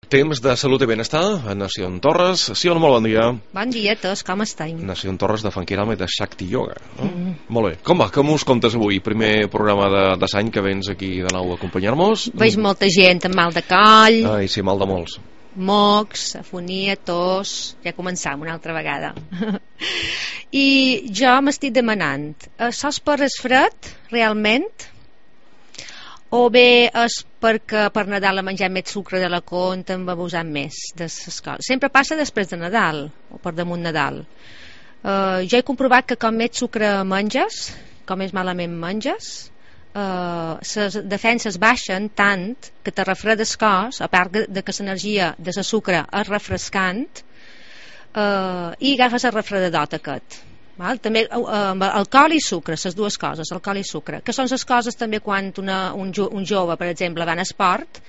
Temps de salut i benestar a Nació Torres. Sí, molt bon dia. Bon dia a tots, com esteu? Nació Torres de Funkirama i de Shakti Yoga. Molt bé. Com va? Com us comptes avui? Primer programa de l'any que vens aquí de nou a acompanyar-nos. Veig molta gent amb mal de coll, Ai, sí, mal de molts. mocs, afonia, tos. Ja començam una altra vegada. I jo m'estic demanant, sols per és fred, realment? O bé és perquè per Nadal ha menjat més sucre de la compta, en va abusant més de les coses. Sempre passa després de Nadal o per damunt Nadal. Jo he comprovat que com més sucre menges, com més malament menges, les defenses baixen tant que te refredes cos, a part de que l'energia de la sucre és refrescant, i agafes el refredadot aquest. Val? També alcohol i sucre, les dues coses, alcohol i sucre, que són les coses també quan un jove, per exemple, va a esport,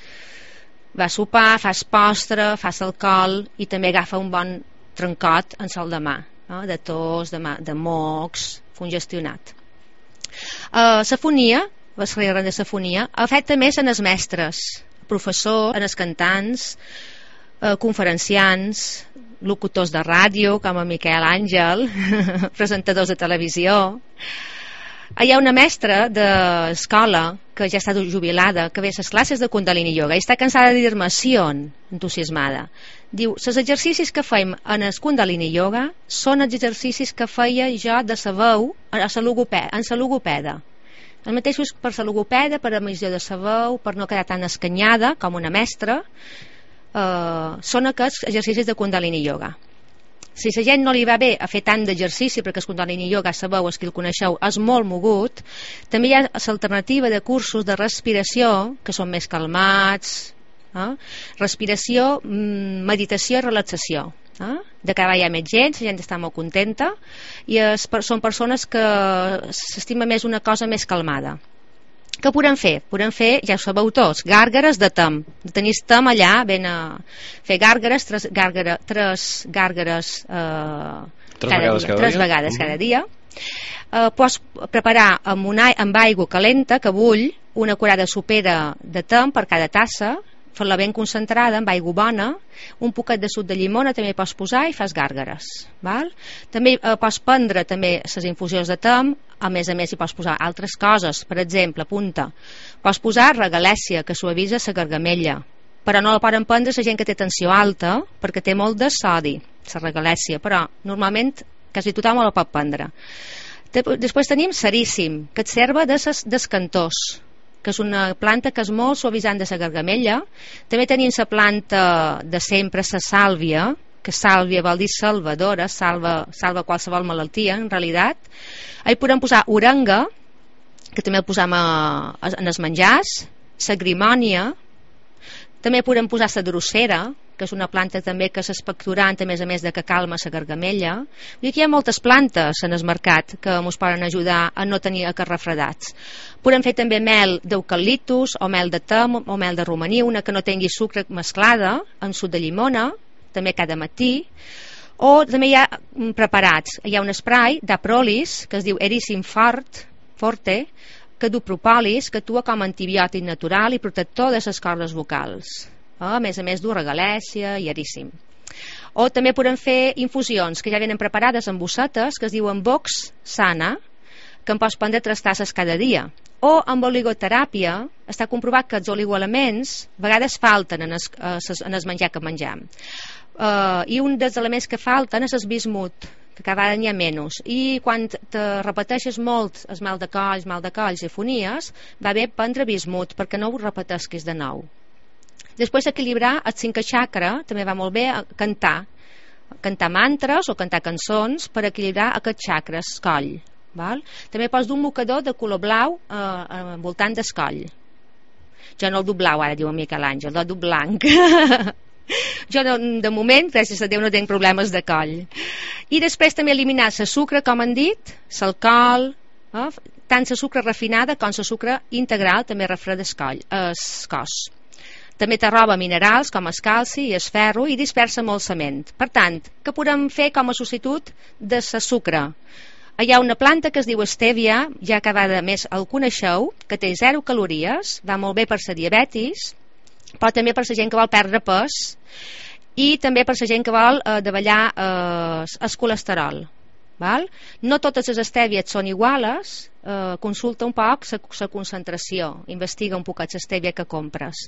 va a sopar, fas postre, fas alcohol i també agafa un bon trencot en sol de mà, no? De tos, de mocs, congestionat. L'afonia, les regles de l'afonia, afecta més en els mestres, professors, en els cantants, conferenciants, locutors de ràdio com a Miquel Àngel, presentadors de televisió. Hi ha una mestra d'escola que ja està jubilada, que ve a les classes de Kundalini Yoga i està cansada de dir-me sí on, entusiasmada. Diu, els exercicis que feim en el Kundalini Yoga són els exercicis que feia jo de la veu en la logopeda. Els mateixos per la logopeda, per emissió de la veu, per no quedar tan escanyada com una mestra, són aquests exercicis de Kundalini Yoga. Si la gent no li va bé a fer tant d'exercici, perquè el Kundalini Yoga, sabeu, els que el coneixeu, és molt mogut, també hi ha l'alternativa de cursos de respiració que són més calmats, respiració, meditació i relaxació. De cada vegada hi ha més gent, la gent està molt contenta i són persones que s'estima més una cosa més calmada. Què podem fer? Podem fer, ja ho sabeu tots, gàrgares de tem. Tenis tem allà, ben a fer gàrgares, tres vegades cada dia. Pots preparar amb aigua calenta que bull una curada sopera de tem per cada tassa, fer-la ben concentrada amb aigua bona, un poquet de suc de llimona també pots posar i fas gàrgares, val? També pots prendre també les infusions de tem, a més hi pots posar altres coses, per exemple, apunta, pots posar regalèssia que suavitza la gargamella, però no la poden prendre la gent que té tensió alta perquè té molt de sodi, la regalèssia, però normalment quasi tothom la pot prendre. Després tenim seríssim, que et serva d'escantors, que és una planta que és molt suavitzant de la gargamella. També tenim la planta de sempre, la sàlvia, que sàlvia vol dir salvadora, salva qualsevol malaltia, en realitat. Hi podem posar orenga, que també el posam en els menjars, la grimònia, també podem posar la drosera, que és una planta també que és expectorant, a més de que calma la gargamella. I aquí hi ha moltes plantes en el mercat que ens poden ajudar a no tenir aquests refredats. Podem fer també mel d'eucaliptus o mel de tem o mel de romaní, una que no tingui sucre mesclada amb suc de llimona, també cada matí. O també hi ha preparats, hi ha un spray d'aprolis que es diu Erysim Forte, que du propolis, que actua com a antibiòtic natural i protector de les cordes vocals. A més du regalèssia i eríssim. O també podem fer infusions que ja venen preparades en bossetes que es diuen Vox Sana, que en pots prendre 3 tasses cada dia. O amb oligoteràpia està comprovat que els oligoelements a vegades falten en el menjar que menjam. I un dels elements que falten és el bismut, que cada vegada n'hi ha menys. I quan te repeteixes molt el mal de colls i fonies, va bé prendre bismut perquè no ho repetesquis de nou. Després equilibrar el 5è chakra, també va molt bé cantar mantres o cantar cançons per equilibrar aquests chakres, coll. Val? També pots dur un mocador de color blau voltant del coll. Jo no el du blau, ara diu en Miquel Àngel, el du blanc. Jo de moment, gràcies a Déu, no tinc problemes de coll. I després també eliminar el sucre, com han dit, l'alcohol, tant la sucre refinada com la sucre integral també refreda el cos. També te roba minerals com el calci i el ferro i dispersa molt la ment. Per tant, què podem fer com a substitut de la sucre? Hi ha una planta que es diu stèvia, ja cada vegada més el coneixeu, que té 0 calories, va molt bé per la diabetis, però també per la gent que vol perdre pes i també per la gent que vol davallar el colesterol. Val? No totes les estèvies són iguales, consulta un poc la concentració, investiga un poc l'estèvia que compres.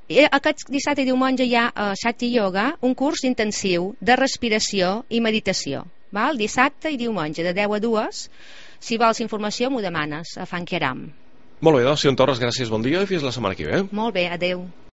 I aquest dissabte i diumenge hi ha a Shakti Yoga un curs intensiu de respiració i meditació. Val? Dissabte i diumenge de 10 a 2. Si vols informació m'ho demanes a Fankiaram. Molt bé, doncs, Sion Torres, gràcies, bon dia i fins la setmana que ve. Molt bé, adeu.